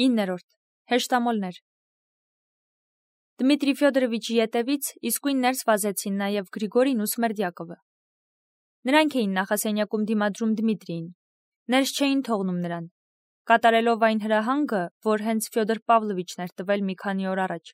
9. Հեշտամոլներ Դմիտրի Ֆյոդորովիչի ետևից իսկույն ներս վազեցին նաև Գրիգորին ու Սմերդյակովը։ Նրանք էին նախասենյակում դիմադրում Դմիտրիին, ներս չէին թողնում նրան, կատարելով այն հրահանգը, որ հենց Ֆյոդոր Պավլովիչն էր տվել մի քանի օր առաջ։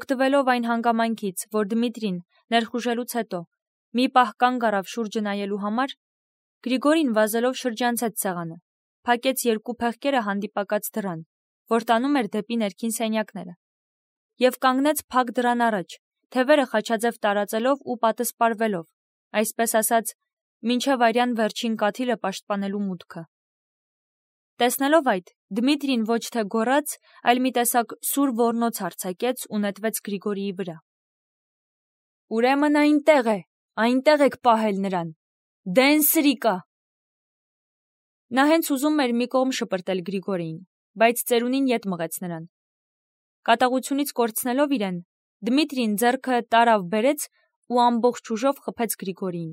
Օգտվելով այն հանգամանքից, որ Դմիտրին ներխուժելուց հետո մի պահ կանգ առավ շուրջը նայելու համար, Գրիգորին վազելով շրջանցեց սեղանը, փակեց երկու փեղկերը հանդիպակաց դռան, որ տանում էր դեպի ներքին սենյակները, և կանգնեց փակ դռան առաջ, թևերը խաչաձև տարածելով ու պատսպարվելով, այսպես ասած, մինչև արյան վերջին կաթիլը պաշտպանելու մուտքը։ Տեսնելով այդ, Դմիտրին ոչ թե գոռաց, այլ մի տեսակ սուր ոռնոց արձակեց ու նետվեց Գրիգորիի վրա։ Ուրեմն այնտեղ եք պահել նրան, դեն սրիկա։ Նա հենց ուզում էր մի կողմ շպրտել Գրիգորիին, բայց ծերունին ետ մղեց նրան։ Կատաղությունից կորցնելով իրեն, Դմիտրին ձեռքը տարավ բերեց ու ամբողջ ուժով խփեց Գրիգորիին։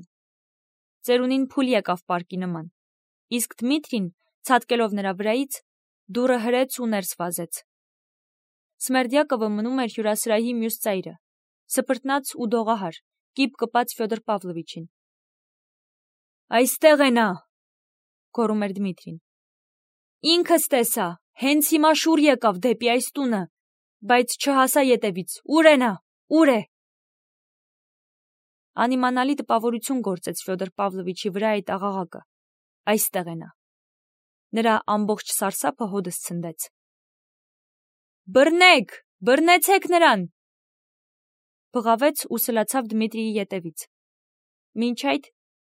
Ծերունին փուլ եկավ պարկի նման, իսկ Դմիտրին, ցատկելով նրա վրայից, դուռը հրեց ու ներս վազեց։ Սմերդյակովը մնում էր հյուրասրահի մյուս ծայրը, սպրտնած ու դողահար, կիպ կպած Ֆյոդոր Պավլովիչին։ Այստեղ է նա, գոռում էր Դմիտրին։ Ինքս տեսա, հենց հիմա շուռ եկավ դեպի այս տունը, բայց չհասա ետևից, ուր է նա, ուր է։ Անիմանալի տպավորություն գործեց Ֆյոդոր Պավլովիչի վրա այդ աղաղակը։ Այստեղ է նա։ Նրա ամբողջ սարսափը հոդս ցնդեց։ Բռնեցեք նրան, բղավեց ու սլացավ Դմիտրիի ետևից։ Մինչ այդ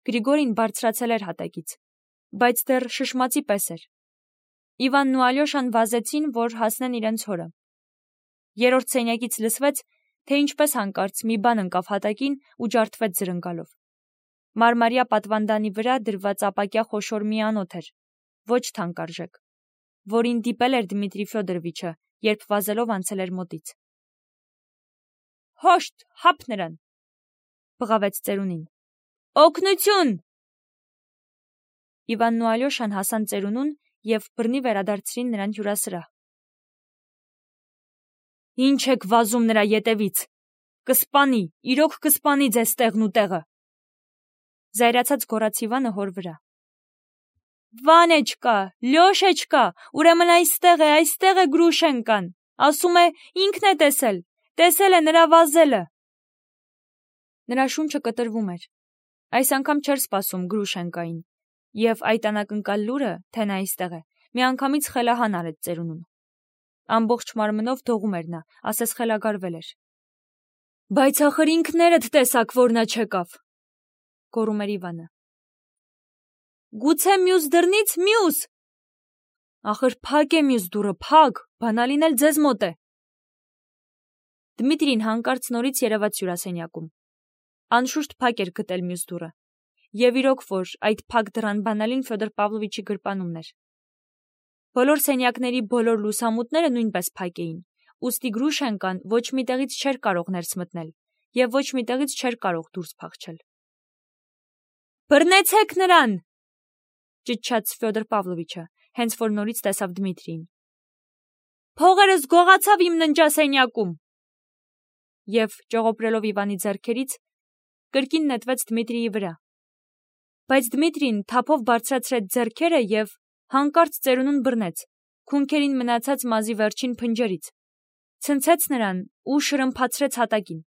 Գրիգորին բարձրացել էր հատակից, բայց դեռ շշմածի պես էր։ Իվանն ու Ալյոշան վազեցին, որ հասնեն իրենց հորը։ Երրորդ սենյակից լսվեց, թե ինչպես հանկարծ մի բան ընկավ հատակին ու ջարդվեց զրնգալով։ Մարմարյա պատվանդանի վրա դրված ապակյա խոշոր մի անոթ էր, ոչ թանկարժեք, որին դիպել էր Դմիտրի Ֆյոդորովիչը, երբ վազելով անցել էր մոտից։ Հոշտ, հապ նրան, բղավեց ծերունին։ Օգնություն։ Իվանն ու Ալյոշան հասան ծերունուն և բռնի վերադարձրին նրան հյուրասրահ։ Ինչ եք վազում նրա ետևից, կսպանի, իրոք կսպանի ձեզ տեղն ու տեղը, զայրացած գոռաց Իվանը հոր վրա։ Վանեչկա, Լյոշեչկա, ուրեմն այստեղ է Գրուշենկան, ասում է ինքն է տեսել է նրա վազելը։ Նրա շունչը կտրվում էր, այս անգամ չէր սպասում Գրուշենկային, և այդ անակնկալ լուրը, թե նա այստեղ է, միանգամից խելահան արեց ծերունուն։ Ամբողջ մարմնով դողում էր նա, ասես խելագարվել էր։ Բայց ախր ինքներդ տեսաք, որ նա չեկավ, գոռում էր Իվանը։ Գուցե մյուս դռնից մյուս։ Ախր փակ է մյուս դուռը, փակ, բանալին էլ ձեզ մոտ է։ Դմիտրին հանկարծ նորից երևաց հյուրասենյակում։ Անշուշտ փակ էր գտել մյուս դուռը, և իրոք որ այդ փակ դռան բանալին Ֆյոդոր Պավլովիչի գրպանումն էր։ Բոլոր սենյակների բոլոր լուսամուտները նույնպես փակ էին, ուստի Գրուշենկան ոչ մի տեղից չէր կարող ներս մտնել և ոչ մի տեղից չէր կարող դուրս փախչել։ Բռնեցեք նրան, ճչաց Ֆյոդոր Պավլովիչը, հենց որ նորից տեսավ Դմիտրիին։ Փողերս գողացավ իմ ննջասենյակում։ Եվ ճողոպրելով Իվանի ձեռքերից, կրկին նետվեց Դմիտրիի վրա։ Բայց Դմիտրին թափով բարձրացրեց ձեռքերը և հանկարծ ծերունուն բռնեց, քունքերին մնացած մազի վերջին փնջերից, ցնցեց նրան ու շրմփացրեց հատակին։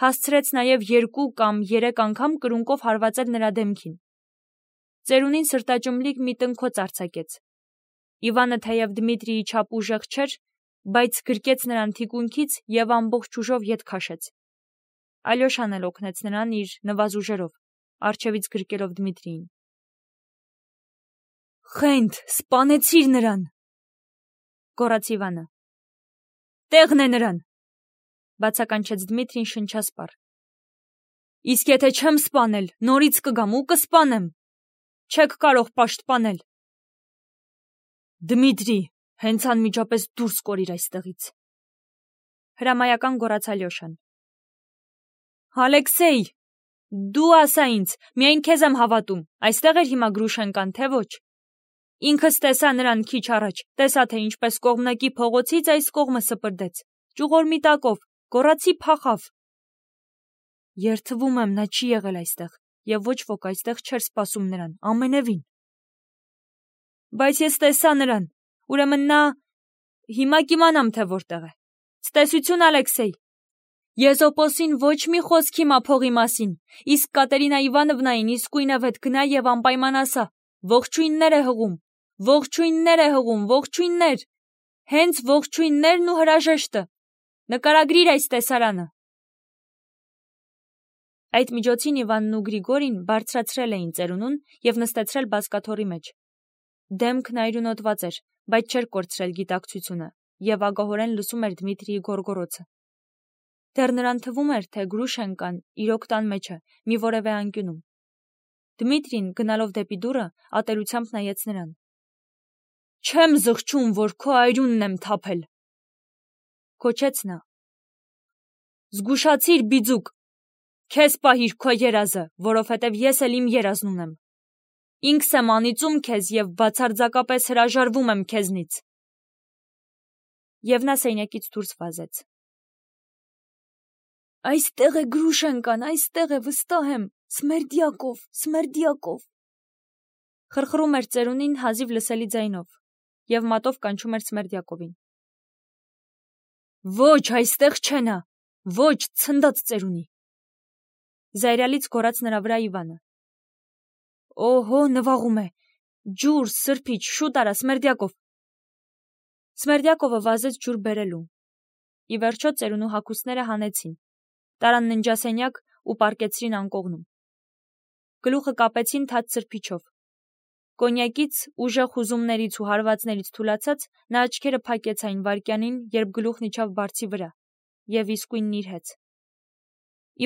Հասցրեց նաև 2 կամ 3 անգամ կրունկով հարվածել նրա դեմքին։ Ծերունին սրտաճմլիկ մի տնքոց արձակեց։ Իվանը թեև Դմիտրիի չափ ուժեղ չէր, բայց գրկեց նրան թիկունքից և ամբողջ ուժով ետ քաշեց։ Ալյոշան էլ օգնեց նրան իր նվազուժերով, առջևից գրկելով Դմիտրիին։ Խենթ, սպանեցիր նրան, գոռաց Իվանը։ Տեղն է նրան, բացականչեց Դմիտրին շնչասպառ։ Իսկ եթե չեմ սպանել, նորից կգամ ու կսպանեմ։ Չեք կարող պաշտպանել։ Դմիտրի, հենց անմիջապես դուրս կորիր այստեղից, հրամայական գոռաց Ալյոշան։ Ալեքսեյ, դու ասա ինձ, միայն քեզ եմ հավատում, այստեղ էր հիմա Գրուշենկան, թե ոչ։ Ինքս տեսա նրան քիչ առաջ, տեսա թե ինչպես կողմնակի փողոցից այս կողմը սպրդեց, ճյուղոր միտակով, գոռացի փախավ։ Երդվում եմ, նա չի եղել այստեղ, եւ ոչ ոք այստեղ չէր սպասում նրան, ամենևին։ Բայց ես տեսա նրան, ուրեմն նա… Հիմա կիմանամ, թե որտեղ է։ Ցտեսություն, Ալեքսեյ։ Եզոպոսին ոչ մի խոսք հիմա փողի մասին, իսկ Կատերինա Իվանովնային իսկույնև հետ գնա եւ անպայման ասա. ողջույններ է հղում, ողջույններ է հղում, ողջույններ, հենց ողջույններն ու հրաժեշտը։ Նկարագրիր այս տեսարանը։ Այդ միջոցին Իվանն ու Գրիգորին բարձրացրել էին ծերունուն եւ նստեցրել բազկաթոռի մեջ։ Դեմքն այրունոտված էր, բայց չէր կորցրել գիտակցությունը եւ ագահորեն լսում էր Դմիտրիի գոռգոռոցը։ Դեռ նրան թվում էր, թե Գրուշենկան իրոք տան մեջ է, մի որևէ անկյունում։ Դմիտրին, գնալով դեպի դուռը, ատելությամբ նայեց նրան։ Չեմ զղջում, որ քո այրունն եմ թափել, քոչեց նա։ Զգուշացիր, բիձուկ, քեզ պահիր քո երազը, որովհետև ես էլ իմ երազն ունեմ։ Ինքս եմ անիծում քեզ եւ բացարձակապես հրաժարվում եմ քեզնից։ Եվ նա սենյակից դուրս վազեց։ Այստեղ է Գրուշենկան, այստեղ է, վստահ եմ, Սմերդյակով, Սմերդյակով։ Խրխրում էր ծերունին հազիվ լսելի ձայնով եւ մատով կանչում էր Սմերդյակովին։ Ոչ, այստեղ չէ նա, ոչ, ցնդած ծերունի։ Զայրալից գոռաց նրա վրա Իվանը։ Օհո, նվաղում է։ Ջուր, սրբիչ, շուտ արա, Սմերդյակով։ Սմերդյակովը վազեց ջուր բերելու։ Ի վերջո ծերունու հագուստները հանեցին, տարան ննջասենյակ ու պառկեցրին անկողնում։ Գլուխը կապեցին թաց սրբիչով։ Կոնյակից, ուժեղ հուզումներից ու հարվածներից թուլացած, նա աչքերը փակեց այն վայրկյանին, երբ գլուխն իջավ բարձի վրա, եւ իսկույն նիրհեց։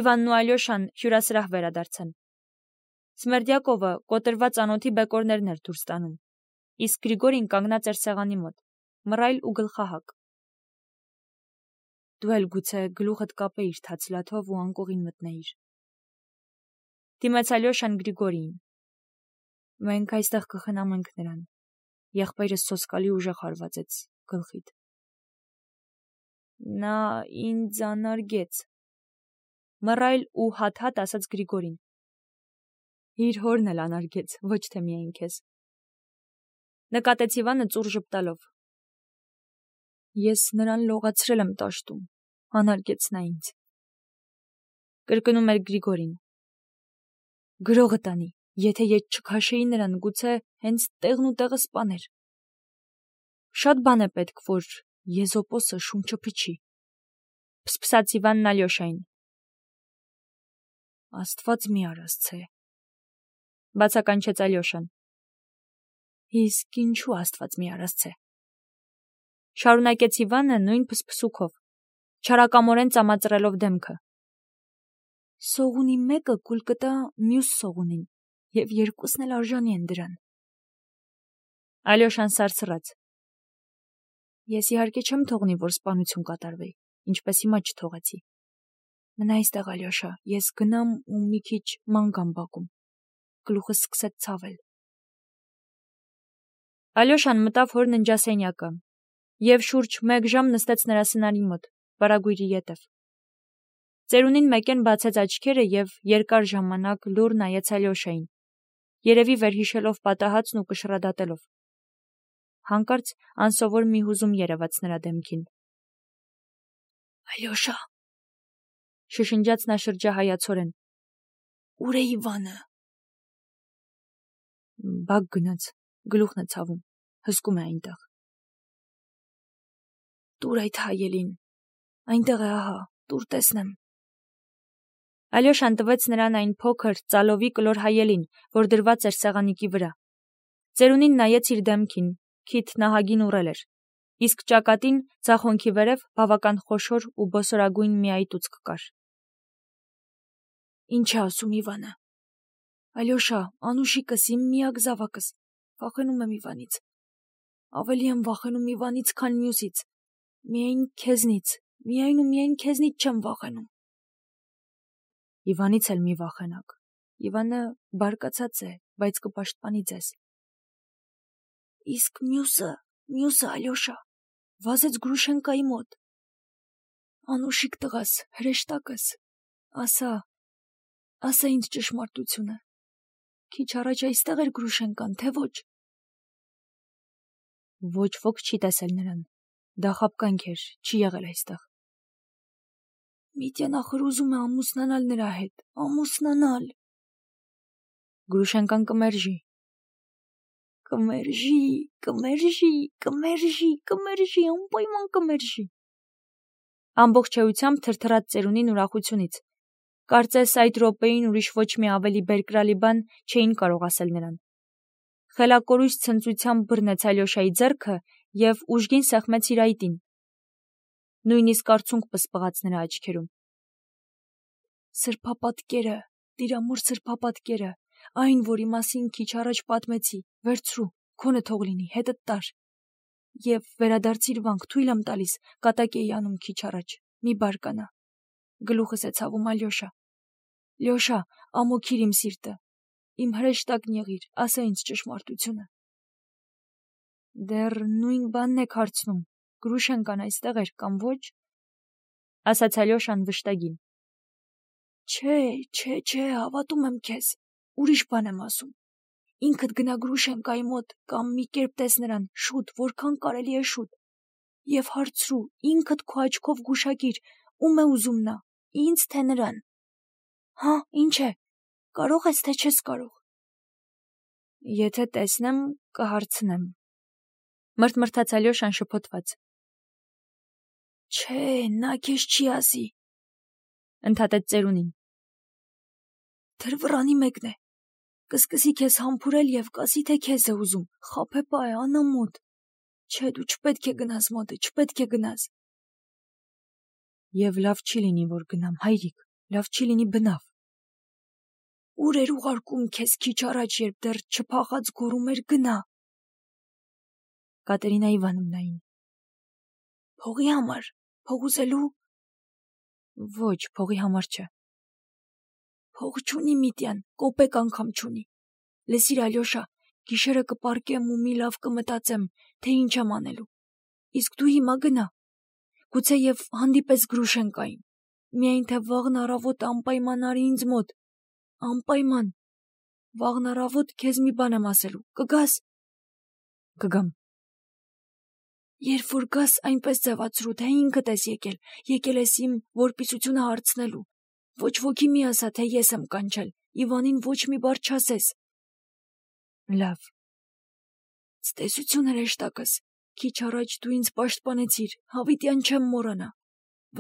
Իվանն ու Ալյոշան հյուրասրահ վերադարձան։ Սմերդյակովը կոտրված անոթի բեկորներն էր դուրս տանում, իսկ Գրիգորին կանգնած էր սեղանի մոտ, մռայլ ու գլխահակ։ Դու էլ գուցե գլուխդ կապեիր թաց լաթով ու անկողին մտնեիր։ Դիմաց Ալյոշան Գրիգորիին։ Մենք այստեղ կխնամենք նրան։ Եղբայրս սոսկալի ուժեղ հարվածեց գլխիդ։ Նա ինձ անարգեց։ Մռայլ ու հատ-հատ ասաց Գրիգորին։ Իր հորն էլ անարգեց, ոչ թե միայն քեզ։ Նկատեց Իվանը ծուռ ժպտալով։ Ես նրան լողացրել եմ տաշտում, անարգեց նա ինձ։ Կրկնում էր Գրիգորին։ Գրողը տանի, եթե ես չքաշեի նրան, գուցե հենց տեղն ու տեղը սպաներ։ Շատ բան է պետք, որ Եզոպոսը շունչը փչի։ Փսփսաց Իվանն Ալյոշային։ Աստված մի արասցե, բացականչեց Ալյոշան։ Իսկ ինչու Աստված մի արասցե։ Շարունակեց Իվանը նույն փսփսուքով, չարակամորեն ծամածրելով դեմքը։ Սողունի մեկը կուլ կտա մյուս սողունին, եւ երկուսն էլ արժանի են դրան։ Ալյոշան սարսռաց։ Ես իհարկե չեմ թողնի, որ սպանություն կատարվի, ինչպես հիմա չթողեցի։ Մնա այստեղ, Ալյոշա, ես գնամ ու մի քիչ ման գամ բակում։ Գլուխս սկսեց ցավել։ Ալյոշան մտավ հոր ննջասենյակը եւ շուրջ 1 ժամ նստեց նրա սնարի մոտ, վարագույրի ետև։ Ծերունին մեկեն բացեց աչքերը եւ երկար ժամանակ լուռ նայեց Ալյոշային, երևի վերհիշելով պատահածն ու կշռադատելով։ Հանկարծ անսովոր մի հուզում երևաց նրա դեմքին։ Ալյոշա, շշնջաց նա շրջահայացորեն։ Ուր է Իվանը։ Բակ գնաց, գլուխն է ցավում, հսկում է այնտեղ։ Տուր այդ հայելին, այնտեղ է, ահա, տուր տեսնեմ։ Ալյոշան տվեց նրան այն փոքր, ծալովի կլոր հայելին, որ դրված էր սեղանիկի վրա։ Ծերունին նայեց իր դեմքին, քիթ նահագին ուռել էր, իսկ ճակատին, ձախոնքի վերև բավական խոշոր ու բոսորագույն մի այտուցք կար։ Ինչ է ասում Իվանը։ Ալյոշա, անուշիկս, իմ միակ զավակս, վախենում եմ Իվանից։ Ավելի եմ վախենում Իվանից, քան մյուսից։ Միայն քեզնից, միայն ու միայն քեզնից չեմ վախենում։ Իվանից էլ մի վախենաք։ Իվանը բարկացած է, բայց կպաշտպանի ձեզ։ Իսկ մյուսը Ալյոշա, վազեց Գրուշենկայի մոտ։ Անուշիկ տղաս, հրեշտակս, ասա ինձ ճշմարտությունը։ Քիչ առաջ այստեղ էր Գրուշենկան, թե ոչ։ Ոչ ոք չի տեսել նրան։ Դա խաբկանք էր, չի եղել այստեղ։ Միտյան ախր ուզում է ամուսնանալ նրա հետ, ամուսնանալ։ Գրուշենկան կմերժի։ Կմերժի, անպայման կմերժի։ Ամբողջ էությամբ թրթռաց ծերունին ուրախությունից։ Կարծես այդ րոպեին ուրիշ ոչ մի ավելի բերկրալի բան չէին կարող ասել նրան։ Խելակորույս ցնծությամբ բռնեց Ալյոշայի ձեռքը և ուժգին սեղմեց իր այտին։ Նույնիսկ արցունք պսպղաց նրա աչքերում։ Սրբապատկերը, տիրամոր սրբապատկերը, այն, որի մասին քիչ առաջ պատմեցի, վերցրու, քոնը թող լինի, հետդ տար։ Եվ վերադարձիր վանք, թույլ եմ տալիս, կատակ էի անում քիչ առաջ, մի բարկանա։ Գլուխս է ցավում, Ալյոշա։ Լյոշա, ամոքիր իմ սիրտը, իմ հրեշտակն եղիր, ասա ինձ ճշմարտությունը։ Դեռ նույն բանն եք հարցնում, Գրուշենկան այստեղ էր կամ ոչ, ասաց Ալյոշան վշտագին։ Չէ, հավատում եմ քեզ, ուրիշ բան եմ ասում։ Ինքդ գնա Գրուշենկայի մոտ կամ մի կերպ տես նրան, շուտ, որքան կարելի է շուտ։ Եվ հարցրու, ինքդ քո աչքով գուշակիր, ում է ուզում նա, ինձ թե նրան։ Հա, ինչ է, կարող ես թե չես կարող։ Եթե տեսնեմ, կհարցնեմ։ Մրթմրթաց Ալյոշան շփոթված։ Չէ, նա քեզ չի ասի, ընդհատեց ծերունին։ Թրվռանի մեկն է։ Կսկսի քեզ համբուրել և կասի, թե քեզ է ուզում, խաբեպա է, անամոթ։ Չէ, դու չպետք է գնաս մոտը, չպետք է գնաս։ Եվ լավ չի լինի, որ գնամ, հայրիկ, լավ չի լինի բնավ։ Ուր էր ուղարկում քեզ քիչ առաջ, երբ դեռ չփախած գոռում էր գնա։ Կատերինա Իվանովնային։ Փողի համար, փող ուզելու։ Ոչ, փողի համար չէ։ Փող չունի Միտյան, կոպեկ անգամ չունի։ Լսիր, Ալյոշա, գիշերը կպառկեմ ու մի լավ կմտածեմ, թե ինչ եմ անելու։ Իսկ դու հիմա գնա։ Գուցեև հանդիպես Գրուշենկային։ Միայն թե վաղն առավոտ անպայման արի ինձ մոտ։ Անպայման։ Վաղն առավոտ քեզ մի բան եմ ասելու։ Կգաս։ Կգամ։ Երբ որ գաս, այնպես ձևացրու, թե ինքդ ես եկել ես իմ որպիսությունը հարցնելու։ Ոչ ոքի մի ասա, թե ես եմ կանչել, Իվանին ոչ մի բառ չասես։ Լավ։ Ցտեսություն հրեշտակս, քիչ առաջ դու ինձ պաշտպանեցիր, հավիտյան չեմ մոռանա։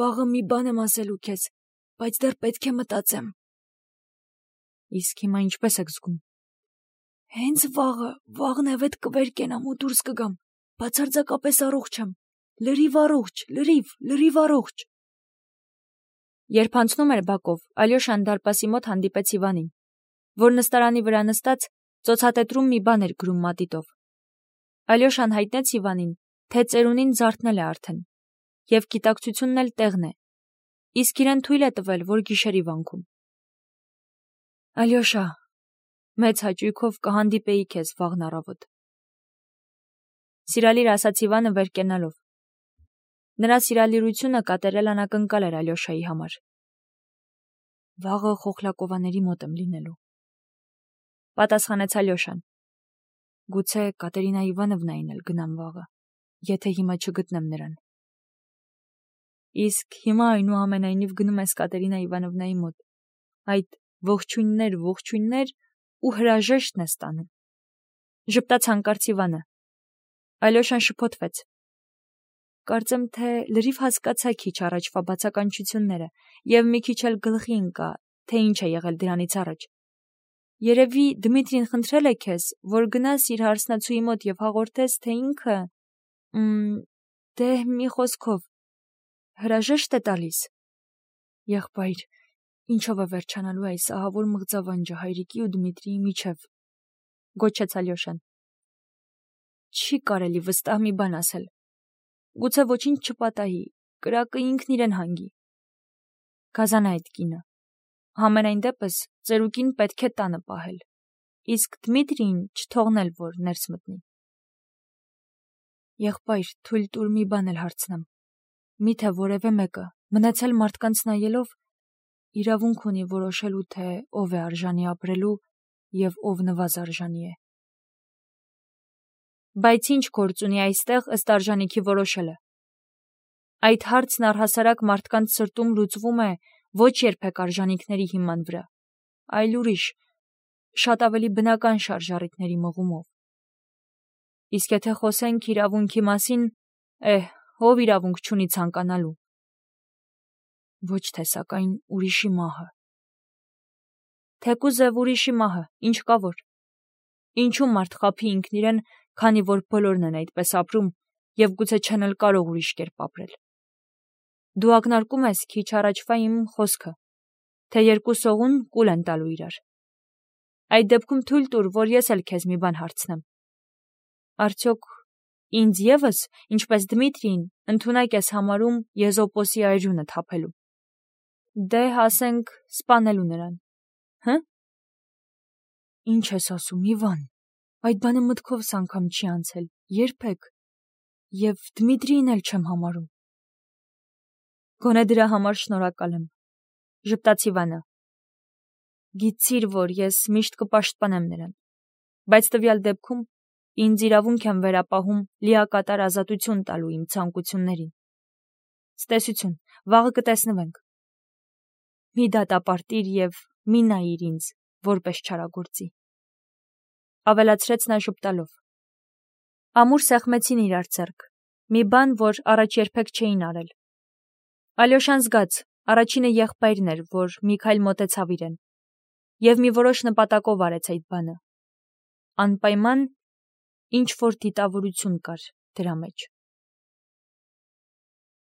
Վաղը մի բան եմ ասելու քեզ, բայց դեռ պետք է մտածեմ։ Իսկ հիմա ինչպես եք զգում։ Հենց վաղն էվետ կվեր կենամ ու դուրս կգամ, բացարձակապես առողջ եմ, լրիվ առողջ։ Երբ անցնում էր բակով, Ալյոշան դարպասի մոտ հանդիպեց Իվանին, որ նստարանի վրա նստած ծոցատետրում մի բան էր գրում մատիտով։ Ալյոշան հայտնեց Իվանին, թե ծերունին զարթնել է արդեն, և գիտակցությունն էլ տեղն է, իսկ իրեն թույլ է տվել, որ գիշերի վանքում։ Ալյոշա, մեծ հաճույքով կհանդիպեի քեզ վաղն առավոտ։ Սիրալիր ասաց Իվանը վեր կենալով։ Նրա սիրալիրությունը կատարել անակնկալ էր Ալյոշայի համար։ Վաղը Խոխլակովաների մոտ եմ լինելու, պատասխանեց Ալյոշան։ Գուցե Կատերինա Իվանովնային էլ գնամ վաղը, եթե հիմա չգտնեմ նրան։ Իսկ հիմա այնուամենայնիվ գնում ես Կատերինա Իվանովնայի մոտ, այդ ողջույններ ու հրաժեշտն ես տանում։ Ժպտաց հանկարծ Իվանը։ Ալյոշան շփոթվեց։ Կարծեմ, թե լրիվ հասկացա քիչ առաջվա բացականչությունները և մի քիչ էլ գլխի ընկա, թե ինչ է եղել դրանից առաջ։ Երևի Դմիտրին խնդրել է քեզ, որ գնաս իր հարսնացուի մոտ և հաղորդես, թե ինքը… Դե մի խոսքով, հրաժեշտ է տալիս։ Եղբայր, ինչով է վերջանալու այս ահավոր մղձավանջը հայրիկի ու Դմիտրիի միջև, գոչեց Ալյոշան։ Չի կարելի վստահ մի բան ասել։ Գուցե ոչինչ չպատահի, կրակը ինքն իրեն հանգի։ Գազան է այդ կինը։ Համենայն դեպս ծերուկին պետք է տանը պահել, իսկ Դմիտրիին չթողնել, որ ներս մտնի։ Եղբայր, թույլ տուր մի բան էլ հարցնեմ։ Միթե որևէ մեկը, մնացել մարդկանց նայելով, իրավունք ունի որոշելու, թե ով է արժանի ապրելու եւ ով նվազ արժանի է։ Բայց ինչ գործ ունի այստեղ ըստ արժանիքի որոշելը։ Այդ հարցն առհասարակ մարդկանց սրտում լուծվում է ոչ երբեք արժանիքների հիման վրա, այլ ուրիշ, շատ ավելի բնական շարժառիթների մղումով։ Իսկ եթե խոսենք իրավունքի մասին, ով իրավունք չունի ցանկանալու։ Ոչ թե սակայն ուրիշի մահը։ Թեկուզ եւ ուրիշի մահը, ինչ կա որ։ Ինչու մարդ խաբի ինքն իրեն, քանի որ բոլորն են այդպես ապրում եւ գուցե չեն էլ կարող ուրիշ կերպ ապրել։ Դու ակնարկում ես քիչ առաջվա իմ խոսքը, թե երկու սողուն կուլ են տալու իրար։ Այդ դեպքում թույլ տուր, որ ես էլ քեզ մի բան հարցնեմ։ Արդյոք ինձ եւս, ինչպես Դմիտրիին, ընդունակ ես համարում Եզոպոսի այրունը թափելու։ Դե ասենք սպանելու նրան։ Հը՞։ Ինչ ես ասում, Իվան։ Այդ բանը մտքովս անգամ չի անցել, երբեք։ Եվ Դմիտրիին էլ չեմ համարում։ Գոնե դրա համար շնորհակալ եմ, ժպտաց Իվանը։ Գիտիր, որ ես միշտ կպաշտպանեմ նրան, բայց տվյալ դեպքում ինձ իրավունք եմ վերապահում լիակատար ազատություն տալու իմ ցանկություններին։ Ցտեսություն, վաղը կտեսնվենք։ Մի դատապարտիր եւ մի նայիր ինձ, որպես չարագործի։ Ավելացրեց նա ժպտալով։ Ամուր սեղմեցին իրար ձեռք, մի բան, որ առաջ երբեք չէին արել։ Ալյոշան զգաց, առաջինը եղբայրն էր, որ մի քայլ մոտեցավ իրեն, եւ մի որոշ նպատակով արեց այդ բանը։ Անպայման ինչ որ դիտավորություն կար դրա մեջ։